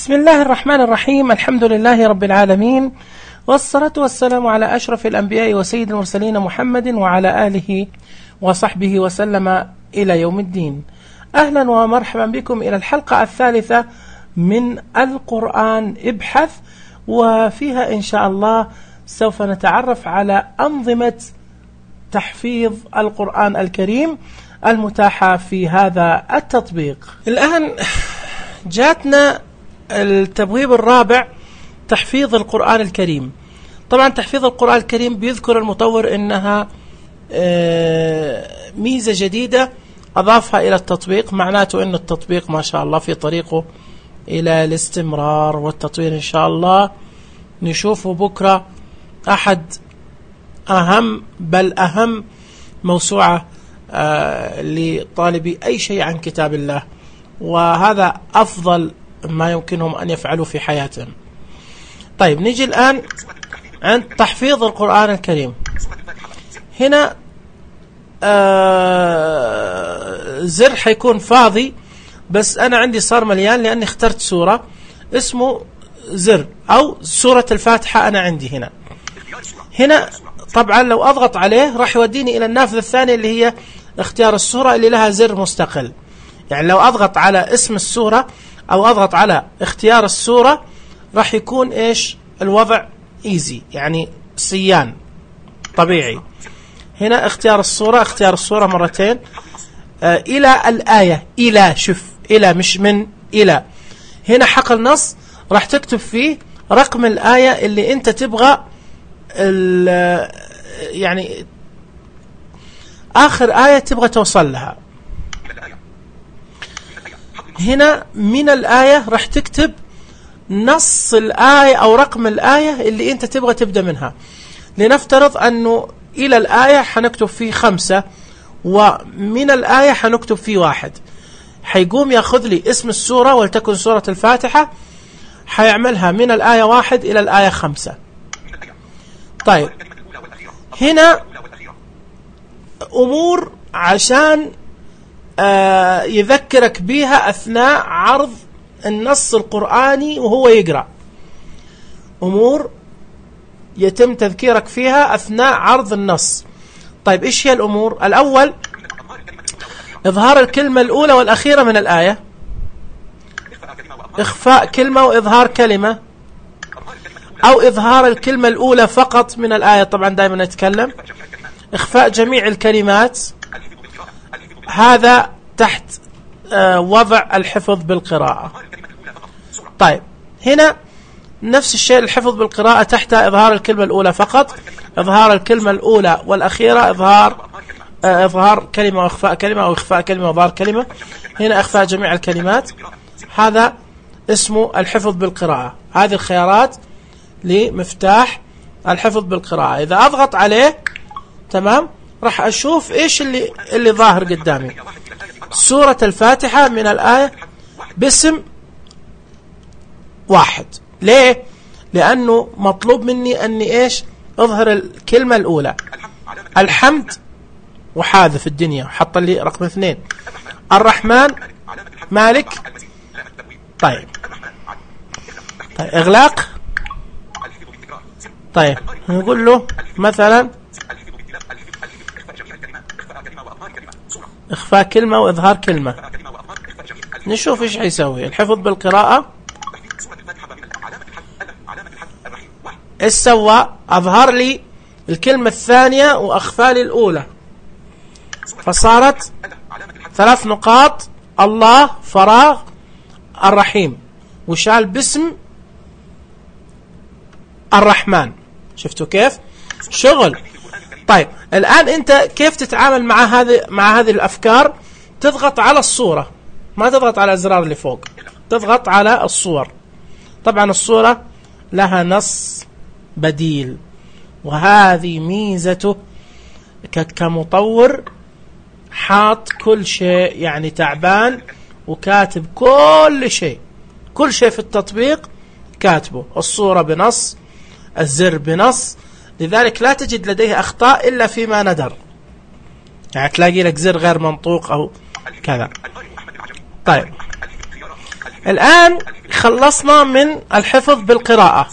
بسم الله الرحمن الرحيم. الحمد لله رب العالمين، والصلاة والسلام على أشرف الأنبياء وسيد المرسلين محمد وعلى آله وصحبه وسلم إلى يوم الدين. أهلا ومرحبا بكم إلى الحلقة الثالثة من القرآن ابحث، وفيها إن شاء الله سوف نتعرف على أنظمة تحفيظ القرآن الكريم المتاحة في هذا التطبيق. الآن جاتنا التبويب الرابع، تحفيظ القرآن الكريم. طبعا تحفيظ القرآن الكريم بيذكر المطور إنها ميزة جديدة أضافها إلى التطبيق، معناته إن التطبيق ما شاء الله في طريقه إلى الاستمرار والتطوير إن شاء الله. نشوفه بكرة أحد أهم بل أهم موسوعة لطالبي أي شيء عن كتاب الله، وهذا أفضل ما يمكنهم أن يفعلوا في حياتهم. طيب نيجي الآن عند تحفيظ القرآن الكريم. هنا زر حيكون فاضي، بس أنا عندي صار مليان لأني اخترت سورة اسمه زر أو سورة الفاتحة. أنا عندي هنا طبعا لو أضغط عليه راح يوديني إلى النافذة الثانية اللي هي اختيار السورة اللي لها زر مستقل. يعني لو أضغط على اسم السورة أو أضغط على اختيار السورة راح يكون إيش الوضع ايزي، يعني سيان طبيعي. هنا اختيار السورة مرتين، إلى الآية، إلى شوف إلى مش من إلى. هنا حقل نص راح تكتب فيه رقم الآية اللي أنت تبغى يعني آخر آية تبغى توصل لها. هنا من الآية راح تكتب نص الآية أو رقم الآية اللي أنت تبغى تبدأ منها. لنفترض أنه إلى الآية حنكتب فيه 5 ومن الآية حنكتب فيه 1. حيقوم ياخذ لي اسم السورة ولتكن سورة الفاتحة، حيعملها من الآية 1 إلى الآية 5. طيب هنا أمور عشان يذكرك بيها أثناء عرض النص القرآني وهو يقرأ، أمور يتم تذكيرك فيها أثناء عرض النص. طيب إيش هي الأمور؟ الأول إظهار الكلمة الأولى والأخيرة من الآية، إخفاء كلمة وإظهار كلمة، أو إظهار الكلمة الأولى فقط من الآية. طبعا دائما نتكلم إخفاء جميع الكلمات، هذا تحت وضع الحفظ بالقراءة. طيب هنا نفس الشيء الحفظ بالقراءة، تحت إظهار الكلمة الأولى فقط، إظهار الكلمة الأولى والأخيرة، إظهار كلمة وإخفاء كلمة، أو إخفاء كلمة وإظهار كلمة. هنا إخفاء جميع الكلمات، هذا اسمه الحفظ بالقراءة. هذه الخيارات لمفتاح الحفظ بالقراءة. إذا أضغط عليه تمام راح أشوف إيش اللي ظاهر قدامي. سورة الفاتحة من الآية باسم 1. ليه؟ لأنه مطلوب مني أني إيش أظهر الكلمة الأولى. الحمد وحاذف الدنيا حط لي رقم 2. الرحمن، مالك. طيب إغلاق. طيب نقول له مثلا إخفاء كلمة وإظهار كلمة. نشوف إيش حيسوي الحفظ بالقراءة. إيش سوى؟ أظهر لي الكلمة الثانية وأخفى لي الأولى، فصارت 3 نقاط، الله فراغ الرحيم، وشال باسم الرحمن. شفتوا كيف شغل؟ طيب الآن أنت كيف تتعامل مع هذه الأفكار؟ تضغط على الصورة، ما تضغط على الأزرار اللي فوق، تضغط على الصور. طبعا الصورة لها نص بديل، وهذه ميزته كمطور، حاط كل شيء، يعني تعبان وكاتب كل شيء في التطبيق كاتبه. الصورة بنص، الزر بنص، لذلك لا تجد لديه أخطاء إلا فيما ندر. يعني تلاقي لك زر غير منطوق أو كذا. طيب الآن خلصنا من الحفظ بالقراءة.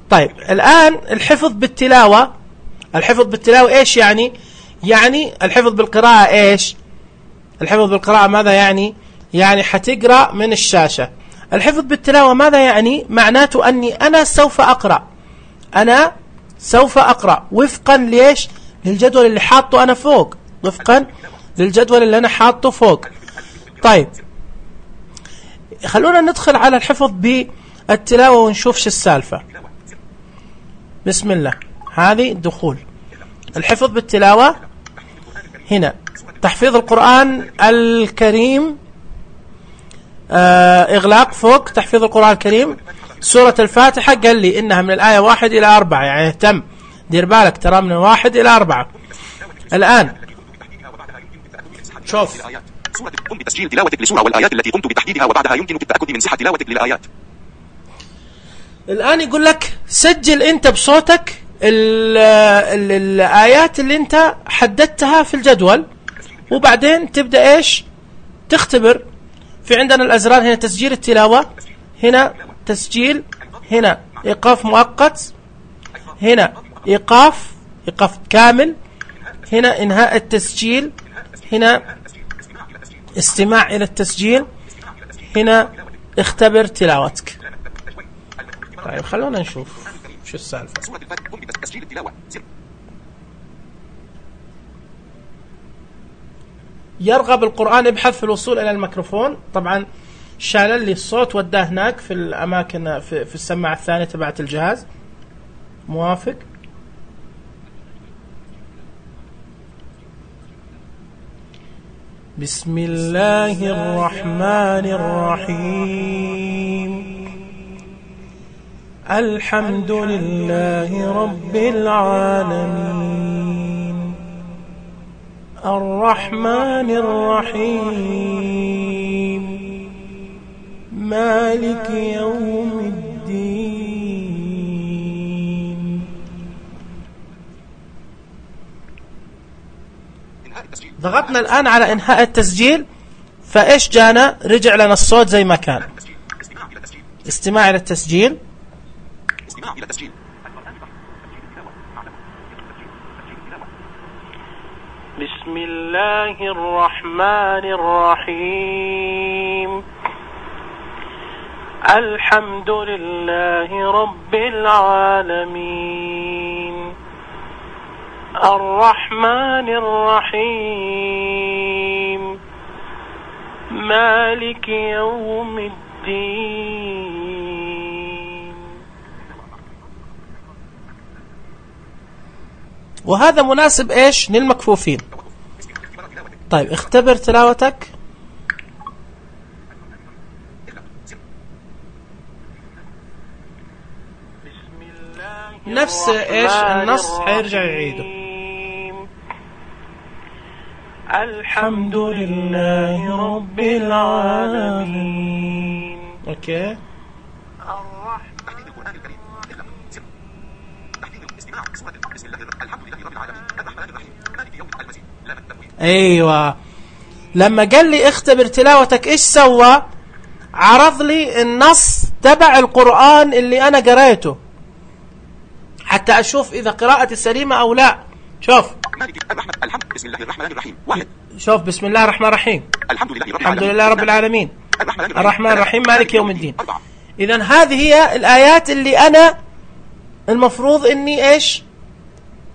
طيب الآن الحفظ بالتلاوة. الحفظ بالتلاوة إيش يعني؟ يعني الحفظ بالقراءة إيش؟ الحفظ بالقراءة ماذا يعني؟ يعني حتقرأ من الشاشة. الحفظ بالتلاوة ماذا يعني؟ معناته أني أنا سوف أقرأ، أنا سوف أقرأ وفقا ليش؟ للجدول اللي حاطه أنا فوق، وفقا للجدول اللي أنا حاطه فوق. طيب خلونا ندخل على الحفظ بالتلاوة ونشوف شو السالفة. بسم الله. هذه دخول الحفظ بالتلاوة. هنا تحفيظ القرآن الكريم، إغلاق فوق تحفيظ القرآن الكريم. سورة الفاتحة قال لي إنها من الآية 1 إلى 4، يعني اهتم دير بالك ترى من 1 إلى 4. الآن شوف سورة قم بتسجيل تلاوتك لسورة والآيات التي قمت بتحديدها وبعدها يمكنك التأكد من صحة تلاوتك للآيات. الآن يقول لك سجل أنت بصوتك الآيات اللي أنت حددتها في الجدول، وبعدين تبدأ إيش؟ تختبر. في عندنا الأزرار هنا تسجيل التلاوة، هنا تسجيل، هنا إيقاف مؤقت، هنا إيقاف كامل، هنا إنهاء التسجيل، هنا استماع إلى التسجيل، هنا اختبر تلاوتك. طيب خلونا نشوف شو السالفة. يرغب القرآن ابحث في الوصول إلى الميكروفون. طبعا شال لي الصوت وداه هناك في الأماكن في السماعة الثانية تبعت الجهاز. موافق. بسم الله الرحمن الرحيم. الحمد لله رب العالمين. الرحمن الرحيم. مالك يوم الدين. ضغطنا الآن على إنهاء التسجيل، فإيش جانا؟ رجع لنا الصوت زي ما كان. استماع إلى التسجيل. بسم الله الرحمن الرحيم. الحمد لله رب العالمين. الرحمن الرحيم. مالك يوم الدين. وهذا مناسب ايش؟ للمكفوفين. طيب اختبر تلاوتك. نفس ايش النص حيرجع يعيده. الحمد لله رب العالمين. اوكي. ايوه، لما قال لي اختبر تلاوتك ايش سوى؟ عرض لي النص تبع القرآن اللي انا قريته حتى اشوف اذا قراءتي سليمة او لا. شوف بسم الله الرحمن الرحيم. واحد. شوف بسم الله الرحمن الرحيم. الحمد لله رب العالمين. الرحمن الرحيم مالك يوم الدين. إذن هذه هي الآيات اللي أنا المفروض إني إيش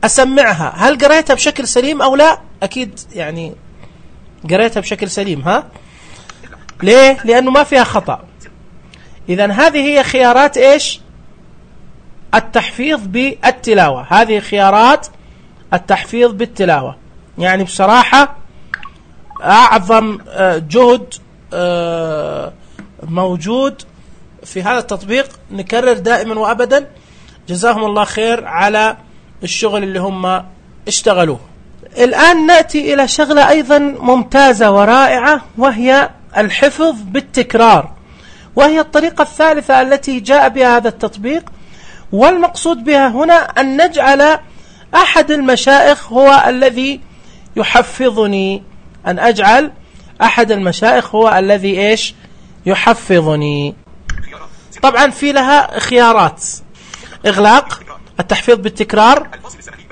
أسمعها. هل قريتها بشكل سليم أو لا؟ أكيد يعني قريتها بشكل سليم. ها ليه؟ لأنه ما فيها خطأ. إذن هذه هي خيارات إيش التحفيظ بالتلاوة. هذه خيارات التحفيظ بالتلاوة. يعني بصراحة أعظم جهد موجود في هذا التطبيق. نكرر دائما وأبدا جزاهم الله خير على الشغل اللي هم اشتغلوه. الآن نأتي إلى شغلة أيضا ممتازة ورائعة، وهي الحفظ بالتكرار، وهي الطريقة الثالثة التي جاء بها هذا التطبيق. والمقصود بها هنا أن نجعل أحد المشايخ هو الذي يحفظني، أن أجعل أحد المشايخ هو الذي إيش يحفظني. طبعا في لها خيارات: إغلاق، التحفيظ بالتكرار،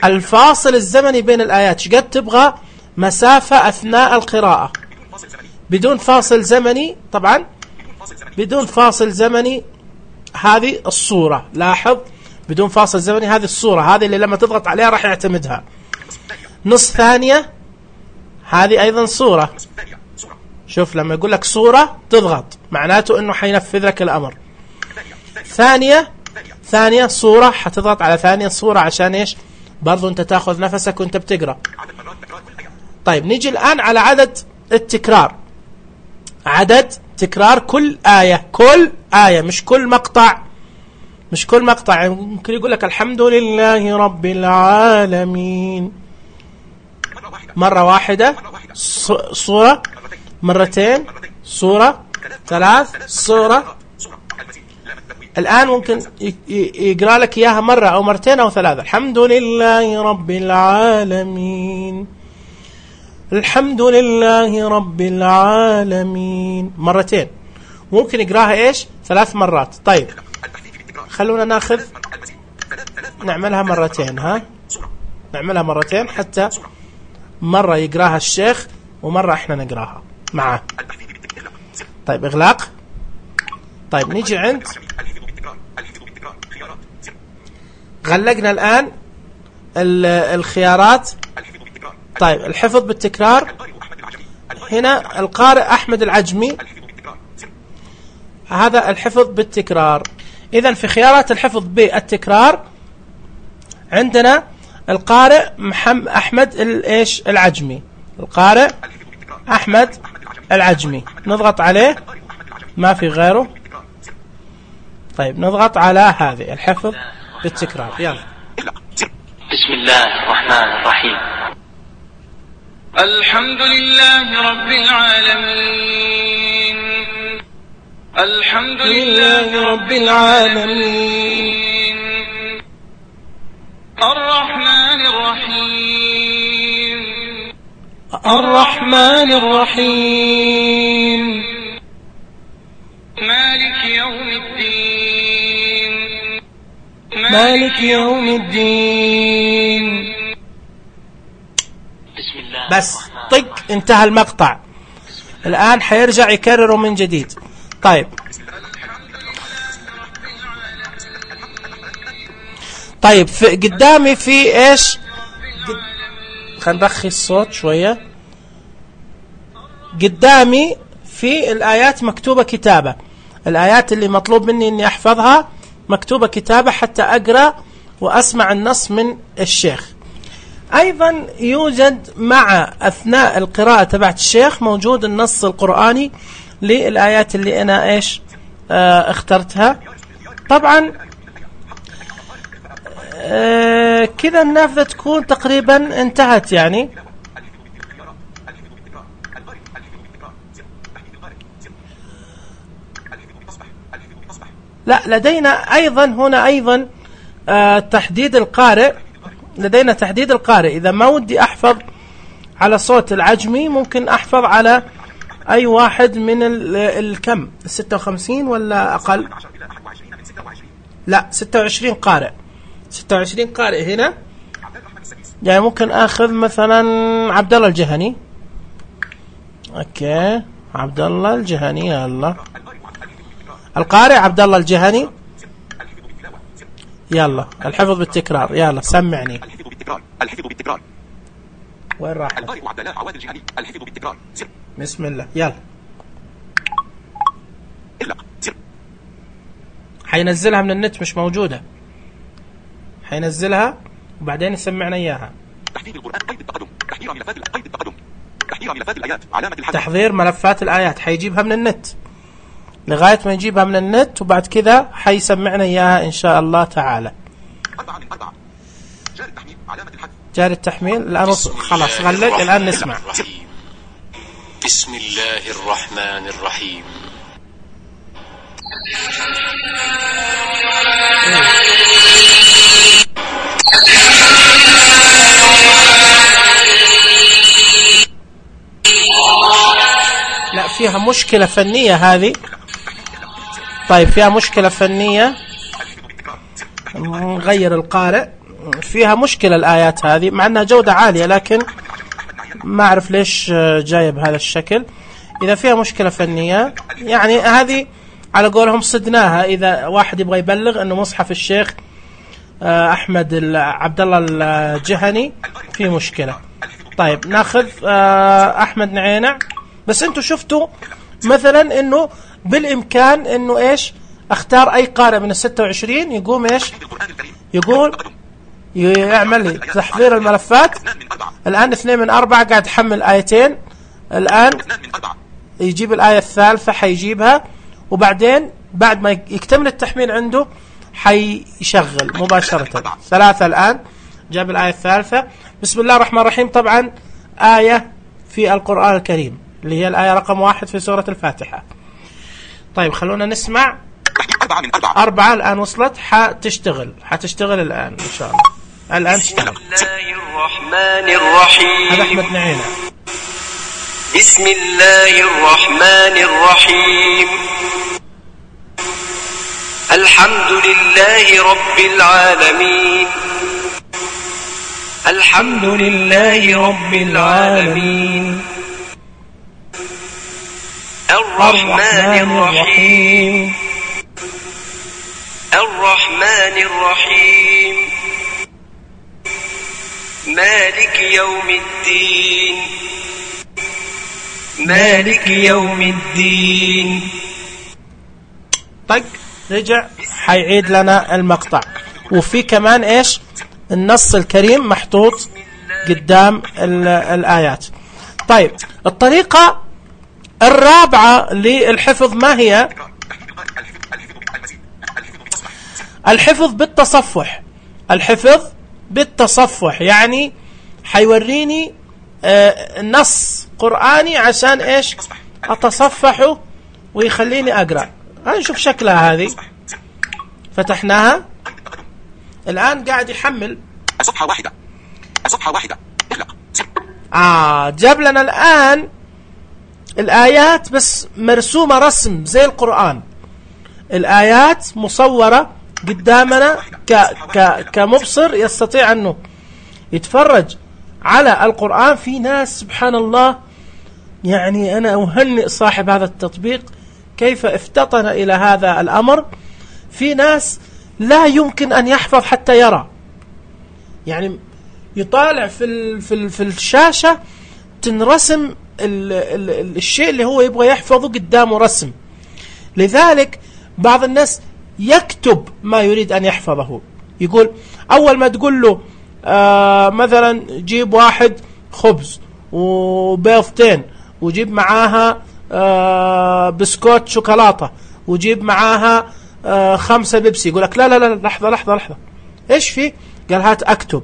الفاصل الزمني بين الآيات، شقد تبغى مسافة أثناء القراءة، بدون فاصل زمني. طبعا بدون فاصل زمني هذه الصورة، لاحظ بدون فاصل زمني هذه الصورة، هذه اللي لما تضغط عليها راح يعتمدها. نص ثانية هذه أيضا صورة، شوف لما يقول لك صورة تضغط معناته أنه حينفذ لك الأمر. ثانية صورة، حتضغط على ثانية صورة عشان إيش؟ برضو أنت تأخذ نفسك وأنت بتقرأ. طيب نيجي الآن على عدد التكرار، عدد تكرار كل آية مش كل مقطع، مش كل مقطع. يعني ممكن يقول لك الحمد لله رب العالمين مرة واحدة صورة، مرتين صورة، ثلاث صورة. الآن ممكن يقرأ لك إياها مرة أو مرتين أو ثلاثة. الحمد لله رب العالمين، الحمد لله رب العالمين مرتين. ممكن يقراها إيش؟ 3 مرات. طيب خلونا ناخذ نعملها مرتين، نعملها مرتين حتى مرة يقراها الشيخ ومرة احنا نقراها معه. طيب إغلاق. طيب نيجي عند غلقنا الآن الخيارات. طيب الحفظ بالتكرار، هنا القارئ أحمد العجمي، هذا الحفظ بالتكرار. إذن في خيارات الحفظ بالتكرار عندنا القارئ أحمد العجمي، القارئ أحمد العجمي، نضغط عليه ما في غيره. طيب نضغط على هذه الحفظ بالتكرار. يلا. بسم الله الرحمن الرحيم. الحمد لله رب العالمين، الحمد لله رب العالمين، الرحمن الرحيم، الرحمن الرحيم، مالك يوم الدين، مالك يوم الدين. بسم الله. بس طق انتهى المقطع. الآن حيرجع يكرره من جديد. طيب في قدامي في ايش؟ خلينا نرخي الصوت شوية. قدامي في الآيات مكتوبة كتابة، الآيات اللي مطلوب مني اني احفظها مكتوبة كتابة حتى اقرأ واسمع النص من الشيخ. ايضا يوجد مع اثناء القراءة تبعت الشيخ موجود النص القرآني للآيات اللي انا ايش اخترتها. طبعا كذا النافذة تكون تقريبا انتهت يعني. لا لدينا ايضا هنا ايضا تحديد القارئ، لدينا تحديد القارئ. اذا ما ودي احفظ على صوت العجمي ممكن احفظ على اي واحد من الكم 56 ولا اقل؟ لا 26 قارئ، 26 قارئ هنا. يعني ممكن اخذ مثلا عبد الله الجهني. اوكي عبد الله الجهني، يلا القارئ عبد الله الجهني. يلا الحفظ بالتكرار، يلا سمعني. الحفظ بالتكرار. وين راح؟ القارئ عبد الله عواد الجهني. الحفظ بالتكرار. بسم الله. يلا حينزلها من النت، مش موجودة. حينزلها وبعدين يسمعنا إياها. تحضير القرآن قيد التقدم، تحضير ملفات قيد التقدم، تحضير ملفات الآيات علامة الحذف. تحضير ملفات الآيات حيجيبها من النت لغاية ما يجيبها من النت، وبعد كذا حيسمعنا إياها إن شاء الله تعالى. 4 من 4. جاري التحميل علامة الحذف. جاري التحميل الآن خلاص غلق. الآن نسمع. بسم الله الرحمن الرحيم. لا فيها مشكلة فنية هذه. طيب فيها مشكلة فنية، نغير القارئ. فيها مشكلة الآيات هذه مع أنها جودة عالية، لكن ما أعرف ليش جاية بهذا الشكل. إذا فيها مشكلة فنية يعني هذه على قولهم صدناها، إذا واحد يبغى يبلغ أنه مصحف الشيخ أحمد عبد الله الجهني في مشكلة. طيب ناخذ أحمد نعينع. بس أنتوا شفتوا مثلا أنه بالإمكان أنه إيش اختار أي قارئ من 26 يقوم إيش يقول يعمل تحضير الملفات. الآن 2 من 4 قاعد يحمل آيتين، الآن يجيب الآية الثالثة حيجيبها، وبعدين بعد ما يكتمل التحميل عنده حيشغل مباشرة. 3 الآن جاب الآية الثالثة. بسم الله الرحمن الرحيم. طبعا آية في القرآن الكريم اللي هي الآية رقم 1 في سورة الفاتحة. طيب خلونا نسمع. 4 الآن وصلت، حتشتغل الآن إن شاء الله. الآن تشتغل. بسم الله الرحمن الرحيم. هذا أحمد نعينة. بسم الله الرحمن الرحيم. الحمد لله رب العالمين. الحمد لله رب العالمين. الرحمن الرحيم. الرحمن الرحيم. مالك يوم الدين. مالك يوم الدين. طق رجع حيعيد لنا المقطع، وفي كمان إيش النص الكريم محطوط قدام الآيات. طيب الطريقة الرابعة للحفظ ما هي؟ الحفظ بالتصفح. الحفظ بالتصفح يعني حيوريني نص قرآني عشان إيش أتصفحه ويخليني أقرأ. هنشوف شكلها هذه. فتحناها الآن قاعد يحمل. صفحة واحدة. جاب لنا الآن الآيات بس مرسومة رسم زي القرآن. الآيات مصورة قدامنا كمبصر يستطيع أنه يتفرج على القرآن. في ناس سبحان الله، يعني أنا أهنئ صاحب هذا التطبيق كيف افتطن إلى هذا الأمر. في ناس لا يمكن أن يحفظ حتى يرى، يعني يطالع في الشاشة تنرسم الشيء اللي هو يبغى يحفظه قدامه رسم. لذلك بعض الناس يكتب ما يريد أن يحفظه. يقول أول ما تقول له مثلا جيب 1 خبز وبيضتين وجيب معاها بسكوت شوكولاتة وجيب معاها 5 بيبسي، يقول لك لا لحظة إيش في؟ قال هات أكتب.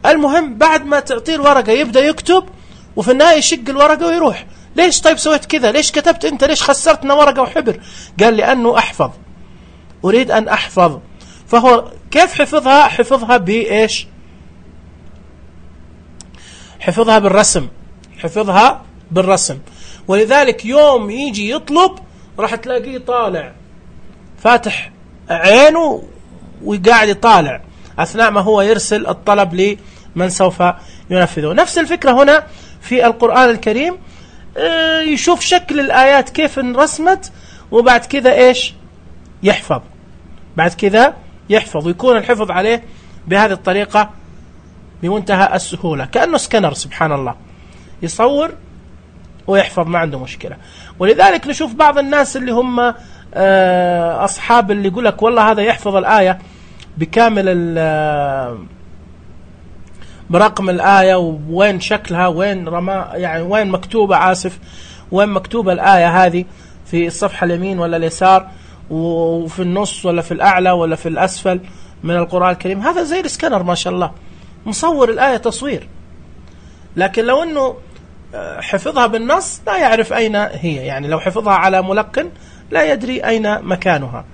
المهم بعد ما تعطيه الورقة يبدأ يكتب، وفي النهاية يشق الورقة ويروح. ليش طيب سويت كذا؟ ليش كتبت أنت؟ ليش خسرتنا ورقة وحبر؟ قال لأنه أحفظ، أريد أن أحفظ. فهو كيف حفظها؟ حفظها بإيش؟ حفظها بالرسم. ولذلك يوم يجي يطلب راح تلاقيه طالع فاتح عينه وقاعد يطالع أثناء ما هو يرسل الطلب لمن سوف ينفذه. نفس الفكرة هنا في القرآن الكريم. يشوف شكل الآيات كيف انرسمت، وبعد كذا إيش يحفظ. بعد كذا يحفظ، ويكون الحفظ عليه بهذه الطريقة بمنتهى السهولة، كأنه سكنر. سبحان الله، يصور ويحفظ ما عنده مشكلة. ولذلك نشوف بعض الناس اللي هم أصحاب اللي يقول لك والله هذا يحفظ الآية بكامل برقم الآية وين شكلها وين يعني وين مكتوبة، وين مكتوبة الآية هذه، في الصفحة اليمين ولا اليسار، وفي النص ولا في الأعلى ولا في الأسفل من القرآن الكريم. هذا زي السكانر ما شاء الله، مصور الآية تصوير. لكن لو أنه حفظها بالنص لا يعرف أين هي، يعني لو حفظها على ملقن لا يدري أين مكانها.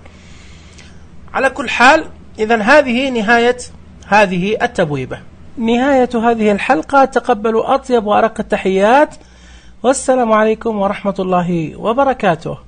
على كل حال، إذن هذه نهاية هذه التبويبة، نهاية هذه الحلقة. تقبلوا أطيب وأرق التحيات، والسلام عليكم ورحمة الله وبركاته.